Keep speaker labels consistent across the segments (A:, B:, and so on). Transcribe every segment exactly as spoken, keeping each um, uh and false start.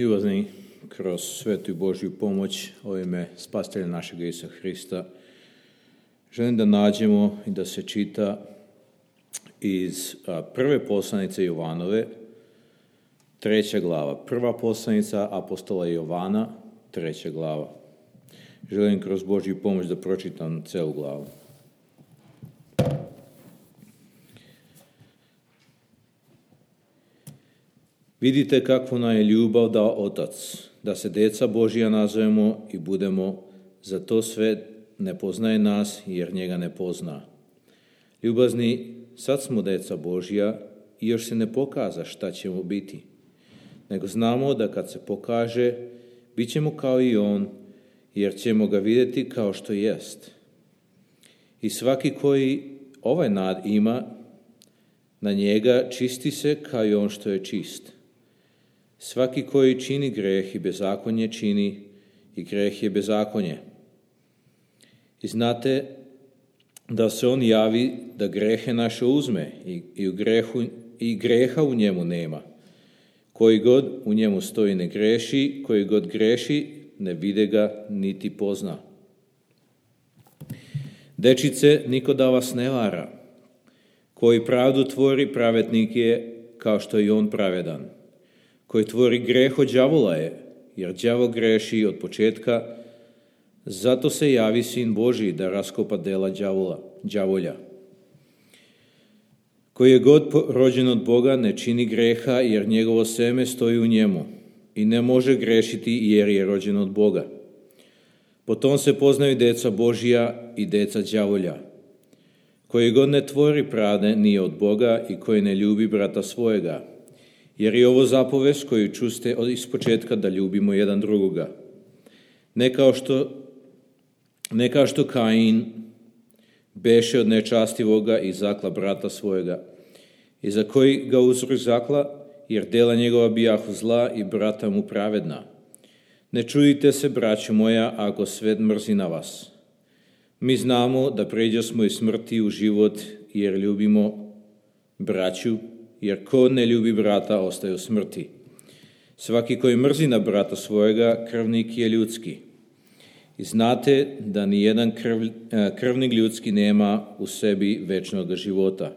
A: Ljubazni, kroz svetu i Božju pomoć u ime Spasitelja našega Isusa Hrista, želim da nađemo i da se čita iz prve poslanice Jovanove, treća glava. Prva poslanica apostola Jovana, treća glava. Želim kroz Božju pomoć da pročitam celu glavu. Vidite kakvu nam je ljubav dao Otac, da se deca Božja nazovemo i budemo, zato svet ne poznaje nas, jer njega ne pozna. Ljubazni, sad smo deca Božja i još se ne pokaza šta ćemo biti, nego znamo da kad se pokaže, bit ćemo kao i on, jer ćemo ga vidjeti kao što jest. I svaki koji ovaj nad ima, na njega čisti se kao i on što je čist. Svaki koji čini greh i bezakonje čini, i greh je bezakonje. I znate da se on javi da grehe naše uzme i, i, u grehu, i greha u njemu nema. Koji god u njemu stoji ne greši, koji god greši ne vide ga niti pozna. Dečice, niko da vas ne vara. Koji pravdu tvori, pravednik je kao što je i on pravedan. Koji tvori greh od đavola je, jer đavo greši od početka, zato se javi Sin Božji da raskopa dela đavola, đavolja. Koji je god rođen od Boga ne čini greha, jer njegovo seme stoji u njemu i ne može grešiti jer je rođen od Boga. Potom se poznaju deca Božja i deca đavolja. Koji god ne tvori pravde nije od Boga i koji ne ljubi brata svojega, jer je ovo zapovest koju čuste od ispočetka da ljubimo jedan drugoga. Ne kao što, ne kao što Kain beše od nečastivoga i zakla brata svojega, i za koji ga uzrok zakla, jer dela njegova bijahu zla i brata mu pravedna. Ne čudite se, braćo moja, ako svet mrzi na vas. Mi znamo da pređo smo iz smrti u život, jer ljubimo braću, jer ko ne ljubi brata, ostaje u smrti. Svaki koji mrzi na brata svojega, krvnik je ljudski. I znate da ni jedan krv, krvnik ljudski nema u sebi večnog života.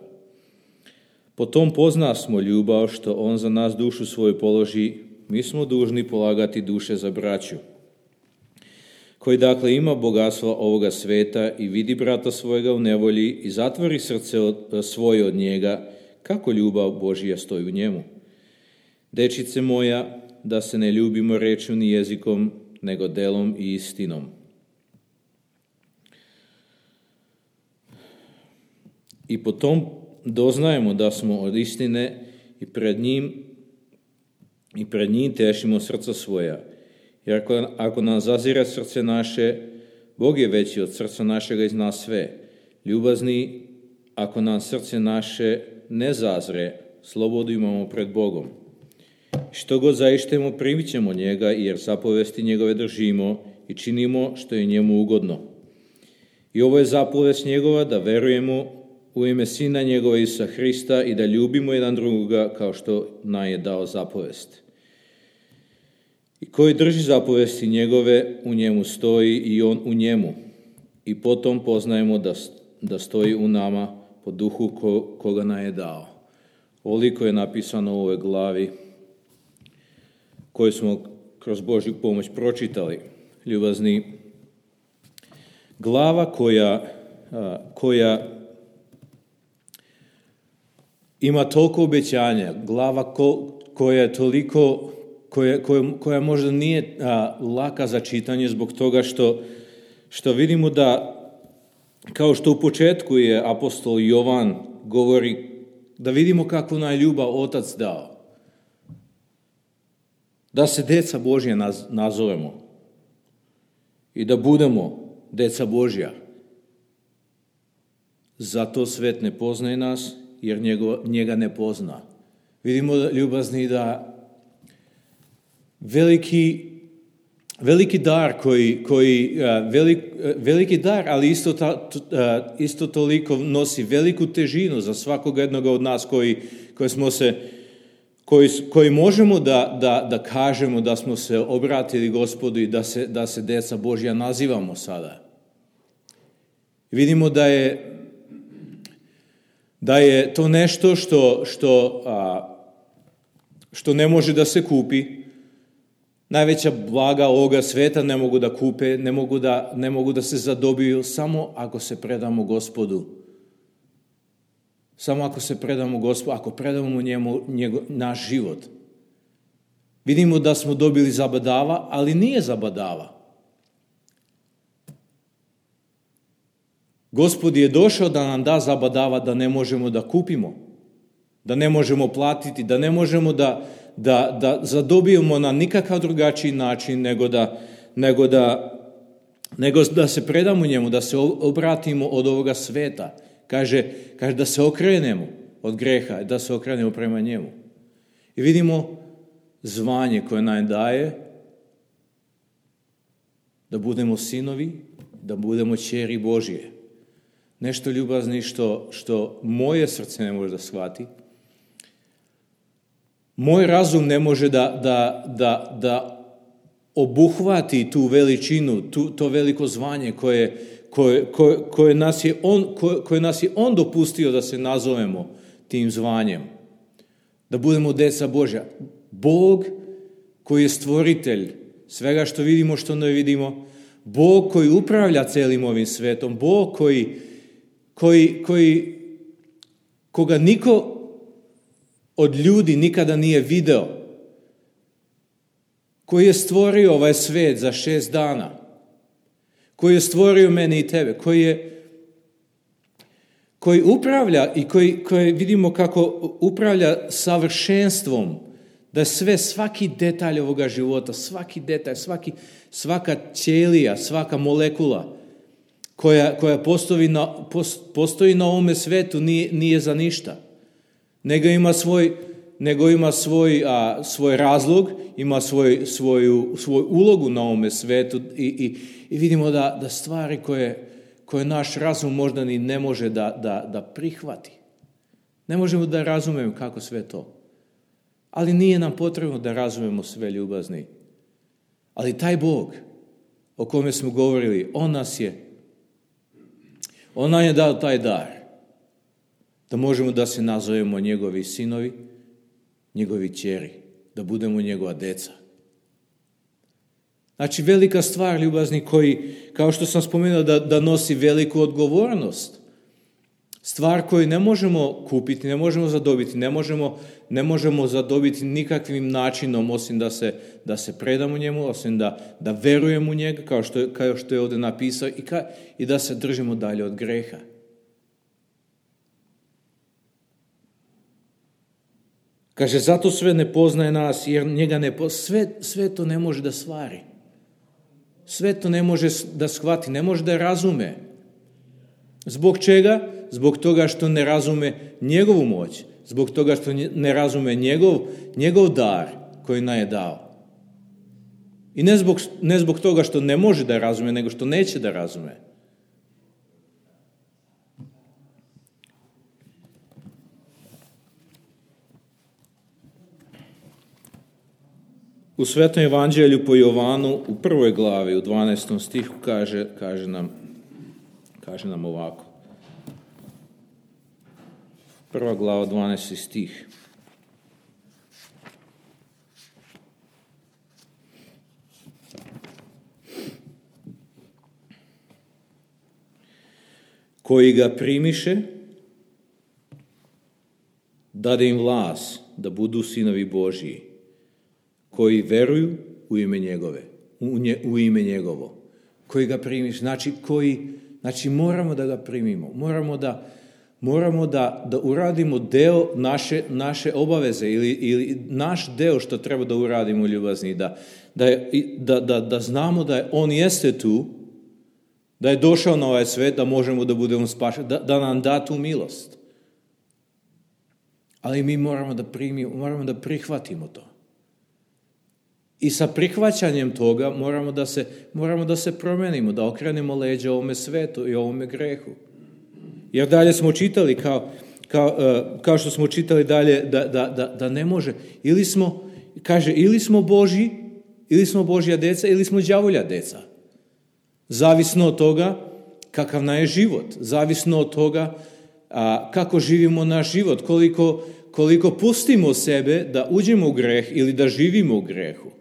A: Potom pozna smo ljubav što on za nas dušu svoju položi, mi smo dužni polagati duše za braću. Koji dakle ima bogatstva ovoga sveta i vidi brata svojega u nevolji i zatvori srce od, svoje od njega, kako ljubav Božja stoji u njemu. Dečice moja, da se ne ljubimo rečju ni jezikom, nego delom i istinom. I potom doznajemo da smo od istine i pred njim i pred njim tešimo srca svoja. Jer ako, ako nam zazire srce naše, Bog je veći od srca našega iz nas sve. Ljubazni, ako nam srce naše ne zazre, slobodu imamo pred Bogom. Što god zaištemo, primit ćemo njega, jer zapovesti njegove držimo i činimo što je njemu ugodno. I ovo je zapovest njegova, da verujemo u ime Sina njegova Isusa Hrista i da ljubimo jedan drugoga kao što nam je dao zapovest. I koji drži zapovesti njegove, u njemu stoji i on u njemu. I potom poznajemo da, da stoji u nama po duhu ko, koga nam je dao. Ovoliko je napisano u ovoj glavi koju smo kroz Božju pomoć pročitali. Ljubazni, glava koja, koja ima toliko obećanja, glava ko, koja je toliko, koja, koja, koja možda nije a, laka za čitanje zbog toga što, što vidimo da, kao što u početku je apostol Jovan govori, da vidimo kakvu nam je ljubav Otac dao. Da se deca Božja naz, nazovemo i da budemo deca Božja. Zato svet ne poznaje nas, jer njego, njega ne pozna. Vidimo, ljubazni, da veliki, veliki dar koji, koji velik, veliki dar, ali isto, ta, isto toliko nosi veliku težinu za svakog jednog od nas koji, koji smo se koji, koji možemo da, da, da kažemo da smo se obratili Gospodu i da se, da se deca Božja nazivamo sada. Vidimo da je, da je to nešto što, što, a, što ne može da se kupi. Najveća blaga ovoga sveta ne mogu da kupe, ne mogu da, ne mogu da se zadobiju samo ako se predamo Gospodu. Samo ako se predamo Gospodu, ako predamo njemu njego, naš život. Vidimo da smo dobili zabadava, ali nije zabadava. Gospod je došao da nam da zabadava da ne možemo da kupimo, da ne možemo platiti, da ne možemo da, da, da zadobijemo na nikakav drugačiji način nego da, nego, da, nego da se predamo njemu, da se obratimo od ovoga sveta. Kaže, kaže da se okrenemo od greha, da se okrenemo prema njemu. I vidimo zvanje koje nam daje da budemo sinovi, da budemo ćeri Božje. Nešto ljubazni što, što moje srce ne može da shvati. Moj razum ne može da, da, da, da obuhvati tu veličinu, tu, to veliko zvanje koje, koje, koje, koje, nas je on, koje, koje nas je on dopustio da se nazovemo tim zvanjem. Da budemo deca Božja. Bog koji je stvoritelj svega što vidimo, što ne vidimo. Bog koji upravlja celim ovim svetom. Bog koji, koji, koji, koga niko od ljudi nikada nije video. Koji je stvorio ovaj svet za šest dana. Koji je stvorio mene i tebe. Koji je koji upravlja i koji, koji vidimo kako upravlja savršenstvom, da sve, svaki detalj ovoga života, svaki detalj, svaki, svaka ćelija, svaka molekula koja, koja postoji, na, postoji na ovome svetu nije, nije za ništa. Nego ima svoj, nego ima svoj, a, svoj razlog, ima svoj, svoju, svoju ulogu na ovome svetu i, i, i vidimo da, da stvari koje koje naš razum možda ni ne može da, da, da prihvati. Ne možemo da razumemo kako sve to. Ali nije nam potrebno da razumemo sve, ljubazni. Ali taj Bog o kome smo govorili, on nas je, on nam je dao taj dar. Da možemo da se nazovemo njegovi sinovi, njegovi ćeri, da budemo njegova deca. Znači, velika stvar, ljubazni, koji, kao što sam spomenuo, da, da nosi veliku odgovornost. Stvar koju ne možemo kupiti, ne možemo zadobiti, ne možemo, ne možemo zadobiti nikakvim načinom, osim da se, da se predamo njemu, osim da, da verujemo u njega, kao što, kao što je ovdje napisao, i, ka, i da se držimo dalje od greha. Kaže, zato sve ne poznaje nas, jer njega ne poznaje. Sve, sve to ne može da stvari. Sve to ne može da shvati, ne može da razume. Zbog čega? Zbog toga što ne razume njegovu moć. Zbog toga što ne razume njegov, njegov dar koji nam je dao. I ne zbog, ne zbog toga što ne može da razume, nego što neće da razume. U Svetom evanđelju po Jovanu u prvoj glavi, u dvanaestom stihu, kaže, kaže, nam, kaže nam ovako. Prva glava, dvanaesti stih. Koji ga primiše, dade im vlast da budu sinovi Božji, koji veruju u ime njegove, u, nje, u ime njegovo, koji ga primiš, znači koji, znači moramo da ga primimo, moramo da, moramo da, da uradimo deo naše, naše obaveze ili, ili naš deo što treba da uradimo, ljubazni, da, da, da, da, da znamo da on jeste tu, da je došao na ovaj svet, da možemo da budemo spašeni, da, da nam da tu milost. Ali mi moramo da primimo, moramo da prihvatimo to. I sa prihvaćanjem toga moramo da se, moramo da se promenimo, da okrenemo leđa ovome svetu i ovome grehu. Jer dalje smo čitali kao kao, kao što smo čitali dalje, da, da, da, da ne može. Ili smo, kaže, ili smo Božji, ili smo Božja deca, ili smo đavolja deca. Zavisno od toga kakav nam je život. Zavisno od toga a, kako živimo naš život. Koliko, koliko pustimo sebe da uđemo u greh ili da živimo u grehu.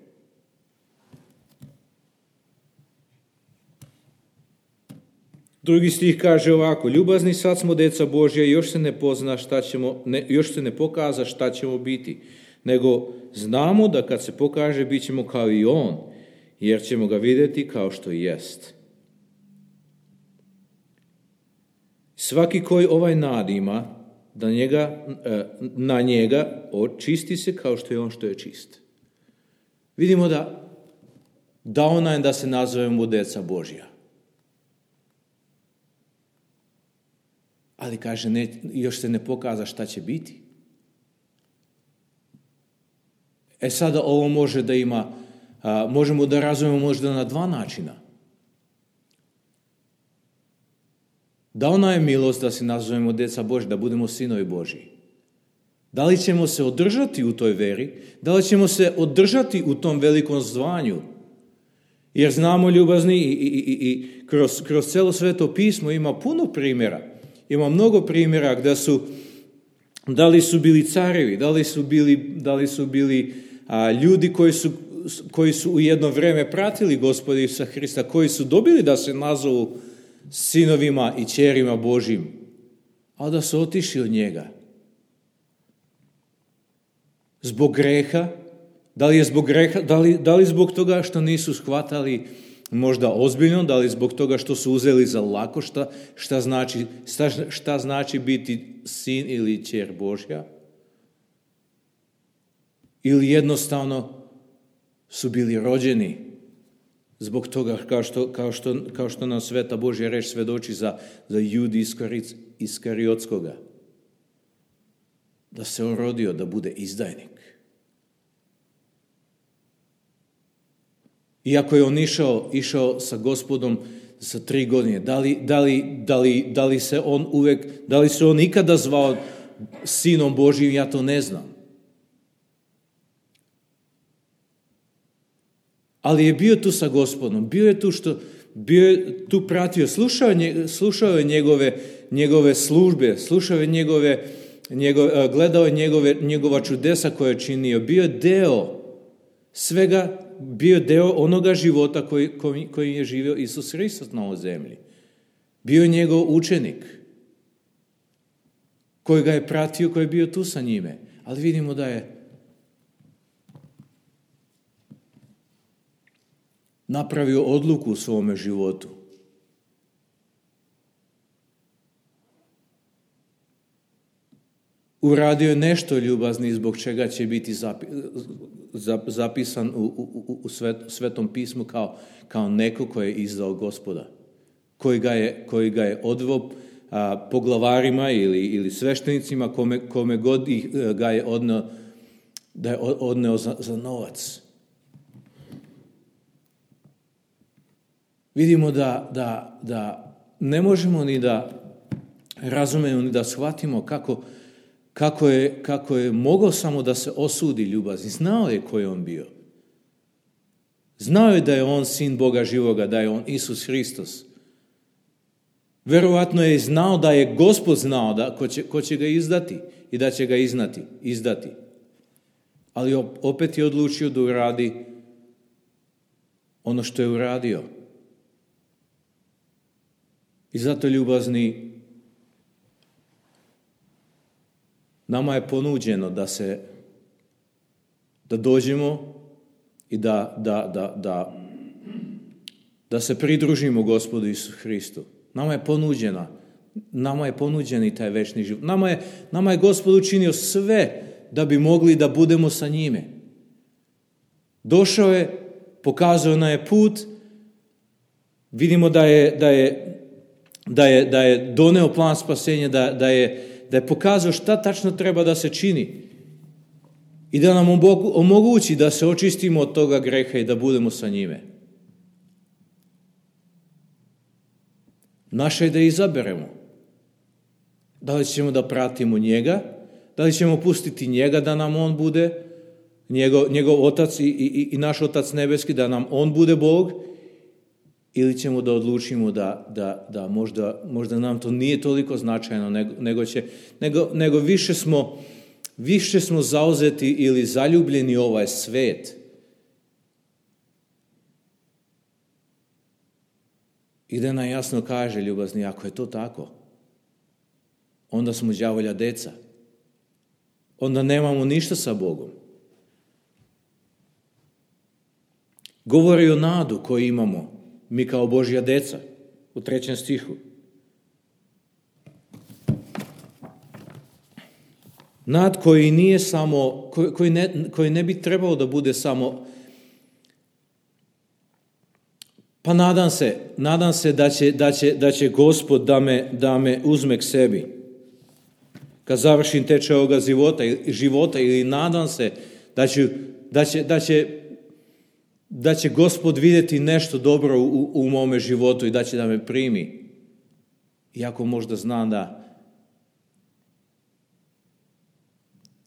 A: Drugi stih kaže ovako: ljubazni, sad smo deca Božja i još se ne pozna šta ćemo, ne, još se ne pokaza šta ćemo biti, nego znamo da kad se pokaže bit ćemo kao i on, jer ćemo ga vidjeti kao što jest. Svaki koji ovaj nad ima, da njega, na njega očisti se kao što je on što je čist. Vidimo da dao nam da se nazovemo deca Božja. Ali kaže, ne, još se ne pokaza šta će biti. E sada ovo može da ima, a, možemo da razumemo možda na dva načina. Dao nam je milost da se nazovemo deca Božja, da budemo sinovi Božji. Da li ćemo se održati u toj veri? Da li ćemo se održati u tom velikom zvanju? Jer znamo, ljubazni, i, i, i, i kroz, kroz celo Sveto pismo ima puno primjera. Ima mnogo primjera gdje su, da li su bili carevi, da li su bili, da li su bili a, ljudi koji su, koji su u jedno vrijeme pratili Gospoda Isusa Hrista, koji su dobili da se nazovu sinovima i ćerima Božjim, a da su otišli od njega. Zbog greha, da li je zbog greha, da li, da li zbog toga što nisu shvatali možda ozbiljno, da li zbog toga što su uzeli za lako šta, šta, znači, šta, šta znači biti sin ili ćer Božja, ili jednostavno su bili rođeni zbog toga, kao što, kao što, kao što nam Sveta Božja reč svedoči za, za Judi Iskariotskoga, da se on rodio da bude izdajnik. Iako je on išao, išao sa Gospodom sa tri godine, da li, da li, da li, da li se on uvek, da li se on ikada zvao sinom Božjim, ja to ne znam. Ali je bio tu sa Gospodom, bio je tu što, bio je tu pratio, slušao je, slušao je njegove, njegove službe, slušao je njegove, njegove, gledao je njegove, njegova čudesa koje je činio, bio je deo svega, bio deo onoga života koji, koji, koji je živio Isus Hristos na ovoj zemlji. Bio je njegov učenik koji ga je pratio, koji je bio tu sa njime. Ali vidimo da je napravio odluku u svome životu. Uradio je nešto, ljubazni, zbog čega će biti zapisan u, u, u Svetom pismu kao, kao neko koji je izdao Gospoda, koji ga je, koji ga je odveo a, poglavarima ili, ili sveštenicima, kome, kome god ih, ga je odneo, da je odneo za, za novac. Vidimo da, da, da ne možemo ni da razumemo, ni da shvatimo kako Kako je, kako je mogao samo da se osudi ljubazni. Znao je ko je on bio. Znao je da je on sin Boga živoga, da je on Isus Hristos. Verovatno je znao da je Gospod znao da ko će, ko će ga izdati i da će ga iznati, izdati. Ali opet je odlučio da uradi ono što je uradio. I zato, ljubazni, nama je ponuđeno da se, da dođemo i da, da, da, da, da se pridružimo Gospodu Isusu Hristu. Nama je ponuđena, nama je ponuđen i taj večni život. Nama je, nama je Gospod učinio sve da bi mogli da budemo sa njime. Došao je, pokazao nam je put, vidimo da je, da je, da je, da je doneo plan spasenja, da, da je da je pokazao šta tačno treba da se čini i da nam omogući da se očistimo od toga greha i da budemo sa njime. Naše je da izaberemo. Da li ćemo da pratimo njega? Da li ćemo pustiti njega da nam on bude, njegov, njegov otac i, i, i naš otac nebeski, da nam on bude Bog? Ili ćemo da odlučimo da, da, da možda, možda nam to nije toliko značajno, nego, nego, će, nego, nego više, smo, više smo zauzeti ili zaljubljeni u ovaj svet. I da nam jasno kaže, ljubazni, ako je to tako, onda smo đavolja deca. Onda nemamo ništa sa Bogom. Govori o nadu koju imamo mi kao Božja deca, u trećem stihu. Nad koji nije samo, koji, koji, ne, koji ne bi trebao da bude samo, pa nadam se, nadam se da će, da će, da će Gospod da me, da me uzme k sebi. Kad završim tečaj ovoga života, života ili nadam se da će, da će, da će da će Gospod vidjeti nešto dobro u, u mome životu i da će da me primi. Iako možda znam da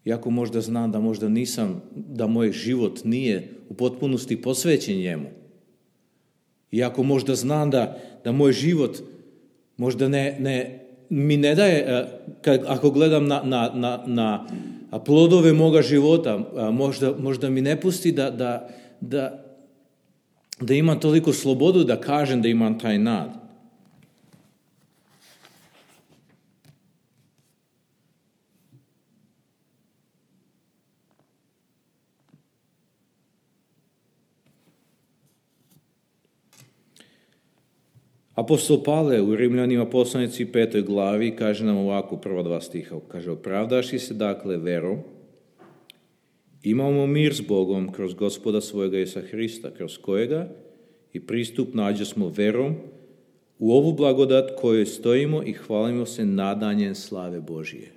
A: iako možda znam da možda nisam, da moj život nije u potpunosti posvećen njemu. Iako možda znam da, da moj život možda ne, ne, mi ne daje, kad, ako gledam na, na, na, na plodove moga života, možda, možda mi ne pusti da, da, da da imam toliko slobodu da kažem da imam taj nad. Apostol Pavle u Rimljanima poslanici petoj glavi kaže nam ovako, prva dva stiha, kaže, opravdaši se dakle verom, imamo mir s Bogom kroz Gospoda svojega Isusa Hrista, kroz kojega i pristup nađe smo verom u ovu blagodat kojoj stojimo i hvalimo se nadanjem slave Božije.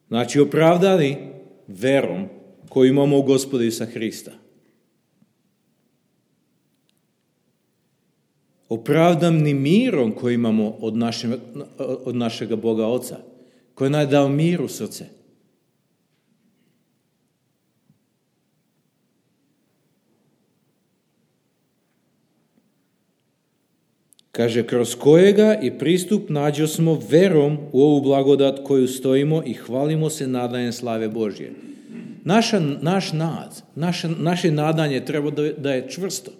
A: Znači, opravdani verom koju imamo u Gospoda Isusa Hrista. Opravdani mirom koji imamo od, naše, od našega Boga Oca, koji nam je dao mir u srce. Kaže, kroz kojega i pristup nađo smo verom u ovu blagodat koju stojimo i hvalimo se nadanjem slave Božje. Naša, naš nad, naše, naše nadanje treba da, da je čvrsto.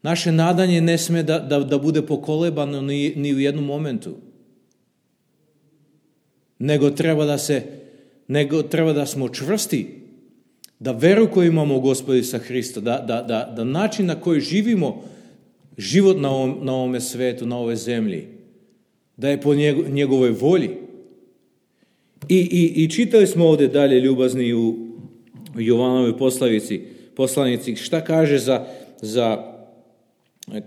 A: Naše nadanje ne sme da, da, da bude pokolebano ni, ni u jednom momentu. Nego treba da se, nego treba da smo čvrsti, da veru koju imamo u Gospoda Isusa Hrista, da, da, da, da način na koji živimo život na, ovom, na ovome svetu, na ovoj zemlji, da je po njego, njegovoj volji. I, i, i čitali smo ovdje dalje, ljubazni, u Jovanovoj poslanici, poslanici šta kaže za, za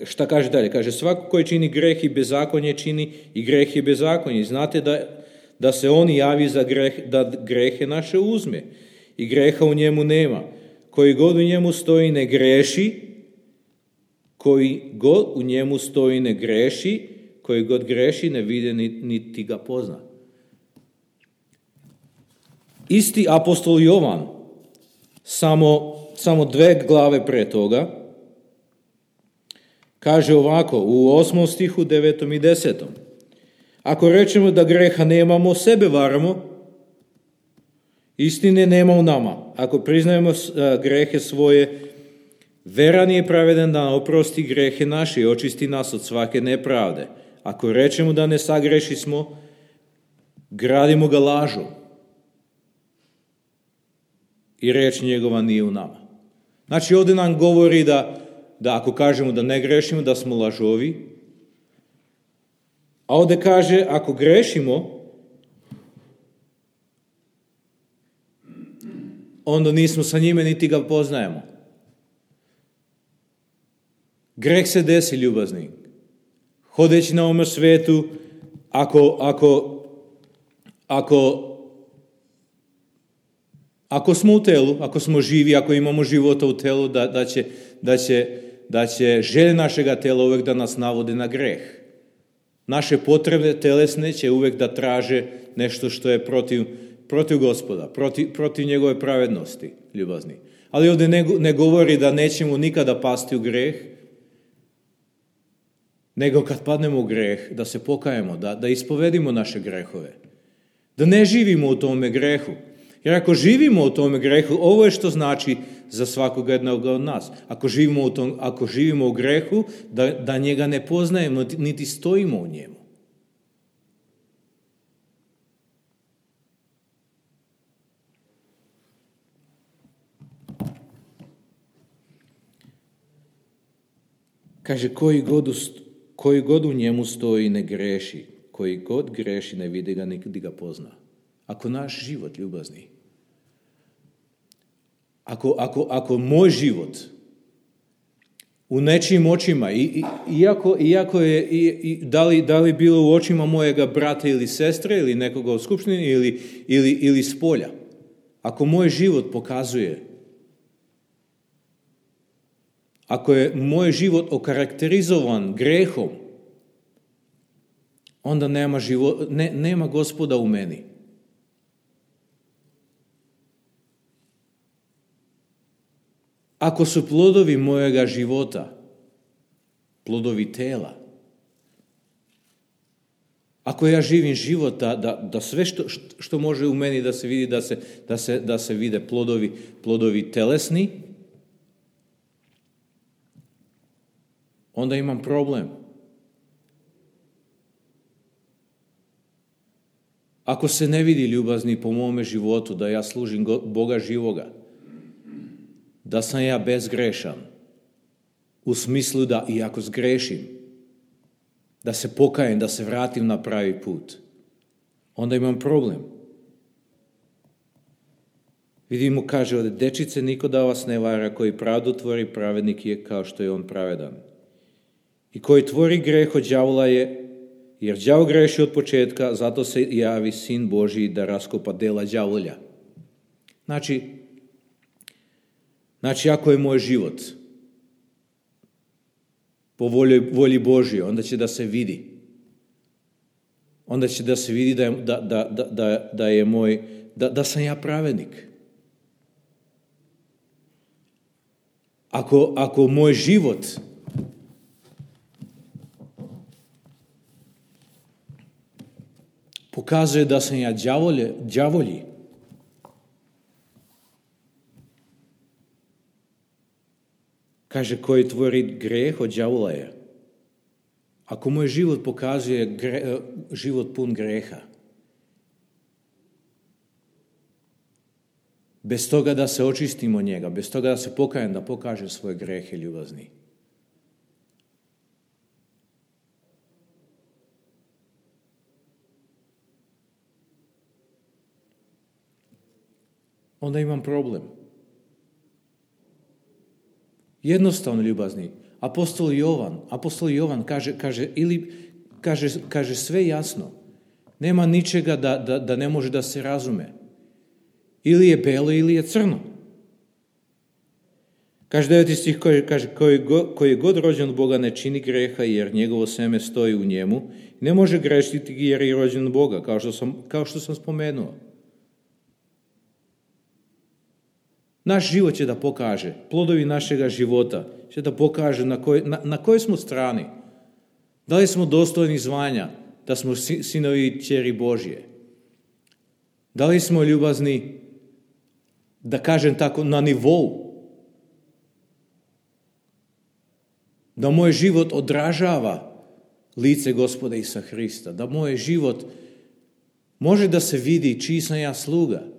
A: šta kaže dalje? Kaže, svako koji čini greh i bezakonje čini i greh i bezakonje. Znate da da se on javi za greh, da grehe naše uzme i greha u njemu nema. Koji god u njemu stoji ne greši, koji god u njemu stoji ne greši, koji god greši ne vide niti ga pozna. Isti apostol Jovan, samo, samo dve glave pre toga, kaže ovako u osmom stihu, devetom i desetom. Ako rečemo da greha nemamo, sebe varamo, istine nema u nama. Ako priznajemo grehe svoje, veran je pravedan da oprosti grehe naše i očisti nas od svake nepravde. Ako rečemo da ne sagreši smo, gradimo ga lažom i reč njegova nije u nama. Znači ovdje nam govori da, da ako kažemo da ne grešimo, da smo lažovi, a ovdje kaže, ako grešimo, onda nismo sa njime, niti ga poznajemo. Greh se desi, ljubazni. Hodeći na ovom svetu, ako, ako, ako, ako smo u telu, ako smo živi, ako imamo života u telu, da, da, će, da, će, da će želje našega tela uvijek da nas navode na greh. Naše potrebe telesne će uvek da traže nešto što je protiv, protiv Gospoda, protiv, protiv njegove pravednosti, ljubazni. Ali ovdje ne, ne govori da nećemo nikada pasti u greh, nego kad padnemo u greh, da se pokajemo, da, da ispovedimo naše grehove. Da ne živimo u tome grehu. Jer ako živimo u tome grehu, ovo je što znači za svakog jednog od nas. Ako živimo u, tom, ako živimo u grehu, da, da njega ne poznajemo, niti stojimo u njemu. Kaže, koji god, u, koji god u njemu stoji ne greši, koji god greši ne vidi ga, niti ga pozna. Ako naš život, ljubazni, ako, ako, ako moj život u nečijim očima, i, i, iako, iako je, i, i, da, li, da li bilo u očima mojega brata ili sestre, ili nekoga u skupštini, ili, ili, ili s polja, ako moj život pokazuje, ako je moj život okarakterizovan grehom, onda nema, život, ne, nema Gospoda u meni. Ako su plodovi mojega života, plodovi tela, ako ja živim život da, da, da sve što, što može u meni da se vidi, da se, da se, da se vide plodovi, plodovi telesni, onda imam problem. Ako se ne vidi, ljubazni, po mome životu da ja služim Boga živoga, da sam ja bezgrešan, u smislu da i ako zgrešim, da se pokajem, da se vratim na pravi put, onda imam problem. Vidimo, kaže ovdje, dečice, niko da vas ne vara, koji pravdu tvori, pravednik je kao što je on pravedan. I koji tvori greh od đavola je, jer đavo greši od početka, zato se javi Sin Božji da raskopa dela đavolja. Znači, znači ako je moj život po volji, volji Božje, onda će da se vidi. Onda će da se vidi da je, da, da, da, da je moj, da, da sam ja pravednik. Ako, ako moj život pokazuje da sam ja đavolje, đavolji, kaže, koji tvori greh od đavola je. Ako moj život pokazuje gre, život pun greha, bez toga da se očistimo od njega, bez toga da se pokajem, da pokaže svoje grehe, ljubazni, onda imam problem. Jednostavno, ljubazni, apostol Jovan, apostol Jovan kaže, kaže, ili, kaže, kaže sve jasno. Nema ničega da, da, da ne može da se razume. Ili je belo, ili je crno. Kaže deveti stih, kaže, koji, koji je god rođen od Boga ne čini greha, jer njegovo seme stoji u njemu. Ne može grešiti jer je rođen od Boga, kao što sam, kao što sam spomenuo. Naš život će da pokaže, plodovi našega života će da pokaže na, koj, na, na kojoj smo strani. Da li smo dostojni zvanja, da smo sinovi i kćeri Božje? Da li smo ljubazni, da kažem tako, na nivou? Da moj život odražava lice Gospoda Isusa Hrista, da moj život može da se vidi čiji sam ja sluga.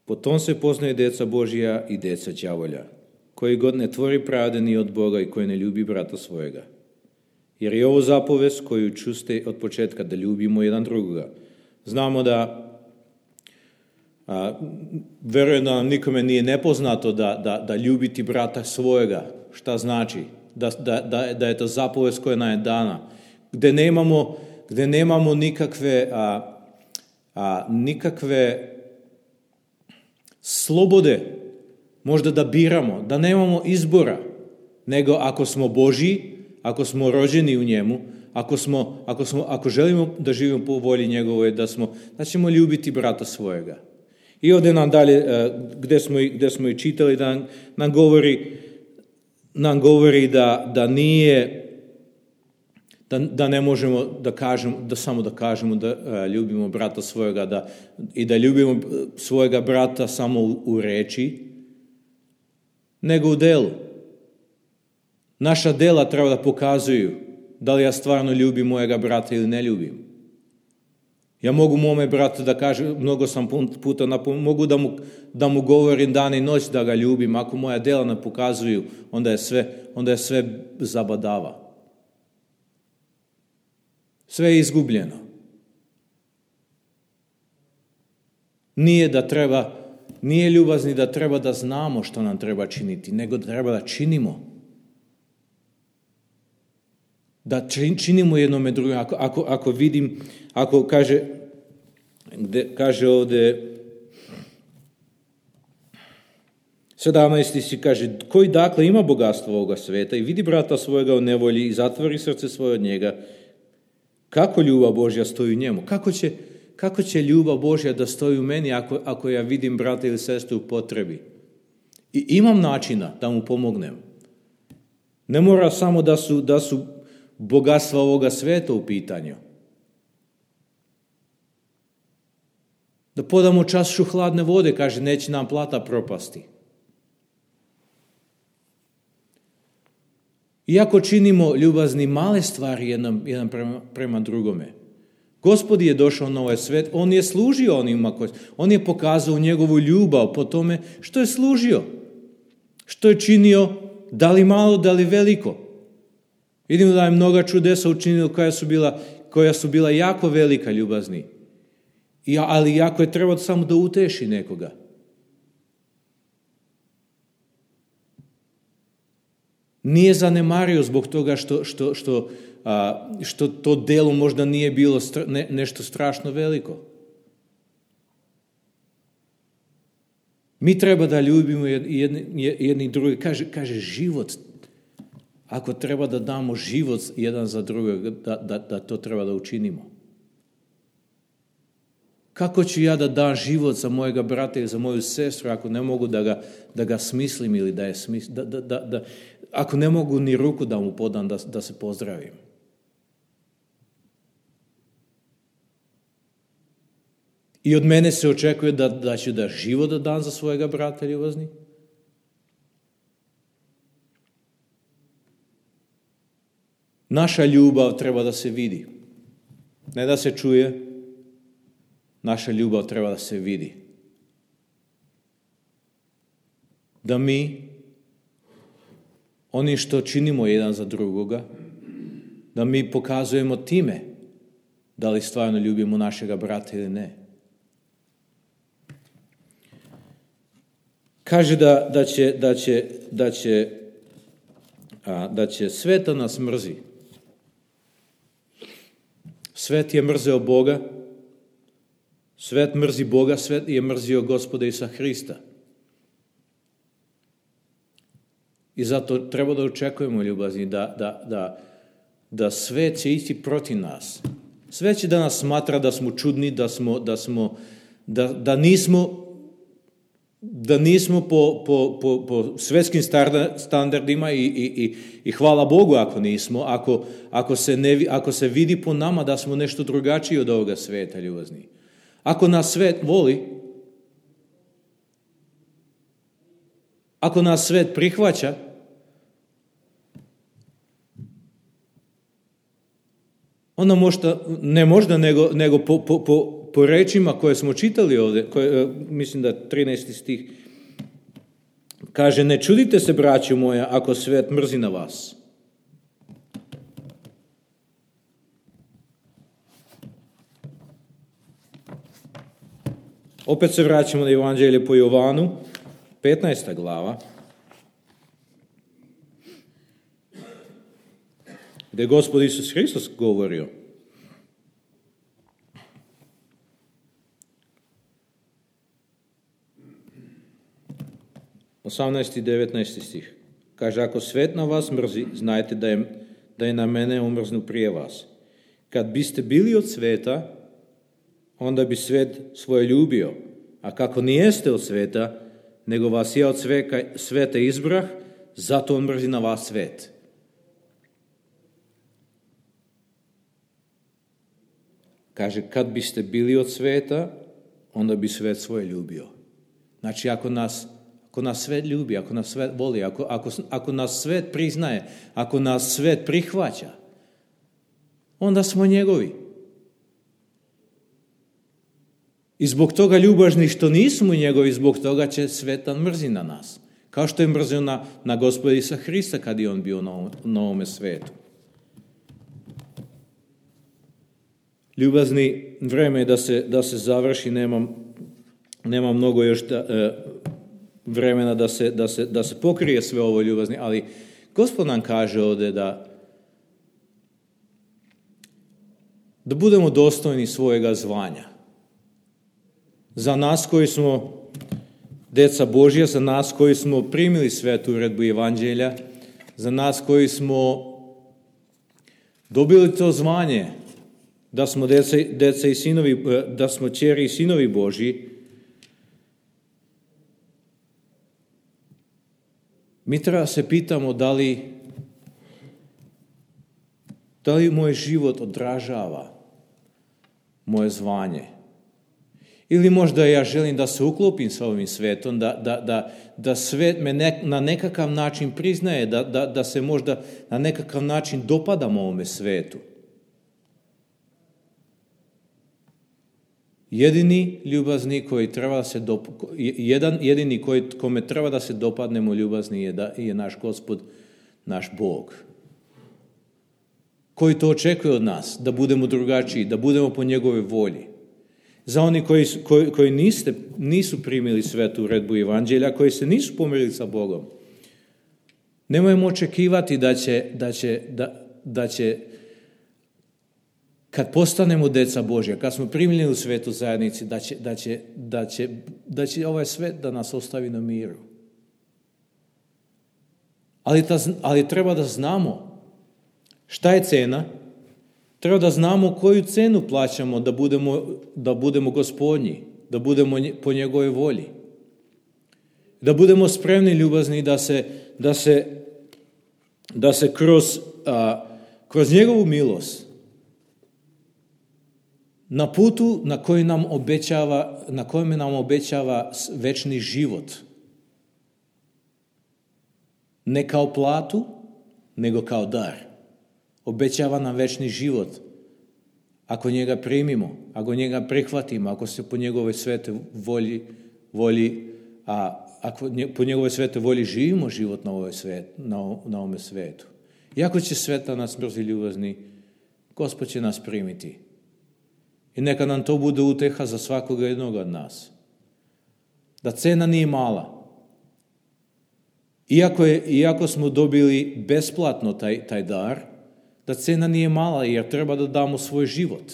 A: Po tom se poznaju deca Božja i deca đavolja, koji god ne tvori pravde ni od Boga i koji ne ljubi brata svojega. Jer je ovo zapovest koju čuste od početka, da ljubimo jedan drugoga. Znamo da, a, verujem da nam nikome nije nepoznato da, da, da ljubiti brata svojega, šta znači, da, da, da, da je to zapovest koja nam je dana, gde nemamo, gde nemamo nikakve, a, a, nikakve slobode možda da biramo, da nemamo izbora, nego ako smo Božji, ako smo rođeni u njemu, ako, smo, ako, smo, ako želimo da živimo po volji njegovoj, da, smo, da ćemo ljubiti brata svojega. I ovdje nam dalje, gdje smo, gdje smo i čitali, da nam govori, nam govori da, da nije, da, da ne možemo da kažemo, da samo da kažemo da uh, ljubimo brata svojega da, i da ljubimo svojega brata samo u, u reči, nego u delu. Naša dela treba da pokazuju da li ja stvarno ljubim mojega brata ili ne ljubim. Ja mogu mome bratu da kažem, mnogo sam puta napom, mogu da mu, da mu govorim dan i noć da ga ljubim, ako moja dela ne pokazuju, onda je sve, onda je sve zabadava. Sve je izgubljeno. Nije da treba, nije ljubazni da treba da znamo što nam treba činiti, nego da treba da činimo. Da činimo jednome drugom. Ako, ako, ako vidim, ako kaže, gde, kaže ovdje, sedamnaesti si kaže, koji dakle ima bogatstvo ovoga sveta i vidi brata svojega u nevolji i zatvori srce svoje od njega, kako ljubav Božja stoji u njemu? Kako će, kako će ljubav Božja da stoji u meni ako, ako ja vidim brata ili sestru u potrebi? I imam načina da mu pomognem. Ne mora samo da su, da su bogatstva ovoga sveta u pitanju. Da podamo čašu hladne vode, kaže, neće nam plata propasti. Iako činimo ljubazni male stvari jedan, jedan prema, prema drugome, Gospod je došao na ovaj svet, on je služio onima koji, on je pokazao njegovu ljubav po tome što je služio, što je činio, da li malo, da li veliko. Vidimo da je mnoga čudesa učinio koja su bila, koja su bila jako velika ljubazni. I, ali jako je trebalo samo da uteši nekoga. Nije zanemario zbog toga što, što, što, a, što to delo možda nije bilo stra, ne, nešto strašno veliko. Mi treba da ljubimo jedni, jedni i drugi. Kaže, kaže život. Ako treba da damo život jedan za drugog, da, da, da to treba da učinimo. Kako ću ja da dam život za mojega brata ili za moju sestru ako ne mogu da ga, da ga smislim ili da je smislim, da, da, da, da, ako ne mogu ni ruku da mu podam da, da se pozdravim. I od mene se očekuje da, da ću da život da dam za svojega brata ljubazni. Naša ljubav treba da se vidi. Ne da se čuje. Naša ljubav treba da se vidi. Da mi, oni što činimo jedan za drugoga, da mi pokazujemo time da li stvarno ljubimo našega brata ili ne. Kaže da, da će, da će, da će, a, da će svet da nas mrzi. Svet je mrzeo Boga, svet mrzi Boga, svet je mrzio Gospoda Isusa Hrista. I zato treba da očekujemo ljubazni, da, da, da, da svet će ići protiv nas. Svet će da nas smatra da smo čudni, da, smo, da, smo, da, da nismo, da nismo po, po, po, po svetskim standardima i, i, i, i hvala Bogu ako nismo, ako, ako, se ne, ako se vidi po nama da smo nešto drugačiji od ovoga sveta ljubazni. Ako nas svet voli, ako nas svet prihvaća, onda možda, ne možda, nego, nego po, po, po, po rečima koje smo čitali ovdje, koje, mislim da trinaesti stih, kaže, ne čudite se, braćo moja, ako svet mrzi na vas. Opet se vraćamo na Evanđelje po Jovanu, petnaesta glava, gdje je Gospod Isus Hristos govorio. osamnaesti i devetnaesti stih. Kaže, ako svet na vas mrzi, znajte da je, da je na mene omrznu prije vas. Kad biste bili od sveta, onda bi svet svoje ljubio. A kako nijeste od sveta, nego vas ja od sveka, sveta izbrah, zato on mrzi na vas svet. Kaže, kad biste bili od sveta, onda bi svet svoje ljubio. Znači, ako nas, ako nas svet ljubi, ako nas svet voli, ako, ako, ako nas svet priznaje, ako nas svet prihvaća, onda smo njegovi. I zbog toga ljubažni što nismo njegovi, zbog toga će svetan mrzi na nas. Kao što je mrzio na, na Gospoda Isusa Hrista kad je on bio na, ovom, na ovome svetu. Ljubazni, vreme je da se, da se završi, nemam, nemam mnogo još da, e, vremena da se, da, se, da se pokrije sve ovo ljubazni, ali Gospod nam kaže ovdje da da budemo dostojni svojega zvanja. Za nas koji smo deca Božja, za nas koji smo primili svetu uredbu Evanđelja, za nas koji smo dobili to zvanje, da smo deca, deca i sinovi, da smo ćeri i sinovi Božji, mi treba se pitamo da li, da li moj život odražava moje zvanje. Ili možda ja želim da se uklopim sa ovim svetom, da, da, da, da svet me ne, na nekakav način priznaje, da, da, da se možda na nekakav način dopadam ovome svetu. Jedini ljubazni koji treba da se dop... jedan jedini koji, kome treba da se dopadnemo ljubazni je, da, je naš Gospod, naš Bog. Koji to očekuje od nas, da budemo drugačiji, da budemo po njegove volji. Za oni koji, koji, koji niste, nisu primili svetu uredbu Evanđelja, koji se nisu pomirili sa Bogom, nemojmo očekivati da će, da će, da, da će kad postanemo deca Božja, kad smo primljeni u svetu zajednici, da će, da će, da će, da će ovaj svet da nas ostavi na miru. Ali, ta, ali treba da znamo šta je cena. Treba da znamo koju cenu plaćamo da budemo, da budemo Gospodnji, da budemo po njegovoj volji. Da budemo spremni, ljubazni, da se, da se, da se kroz, a, kroz njegovu milost na putu na koji nam obećava, na kojem nam obećava večni život. Ne kao platu, nego kao dar. Obećava nam večni život. Ako njega primimo, ako njega prihvatimo, ako se po njegovoj svete volji, volji a ako po njegovoj svete volji živimo život na ovoj svet, na, na ovome svetu. Iako će sveta nas mrzi, ljubazni, Gospod će nas primiti. I neka nam to bude uteha za svakoga jednog od nas. Da cena nije mala. Iako, je, iako smo dobili besplatno taj, taj dar, da cena nije mala, jer treba da damo svoj život.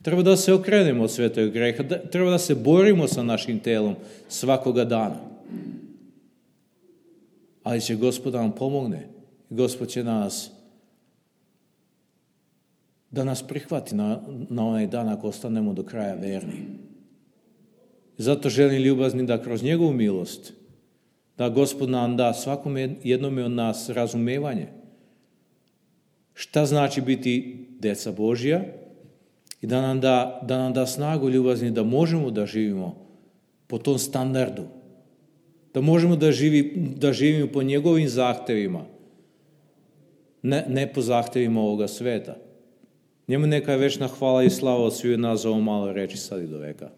A: Treba da se okrenemo od svetog greha, da, treba da se borimo sa našim telom svakoga dana. Ali će Gospod da nam pomogne. Gospod će nas da nas prihvati na, na onaj dan ako ostanemo do kraja verni. Zato želim, ljubazni, da kroz njegovu milost, da Gospod nam da svakome jednome od nas razumevanje. Šta znači biti deca Božja i da nam da, da nam da snagu, ljubazni, da možemo da živimo po tom standardu. Da možemo da, živi, da živimo po njegovim zahtevima, ne, ne po zahtevima ovoga sveta. Njemu neka je večna hvala i slava od sviju nas za ovo malo reči sad i do veka.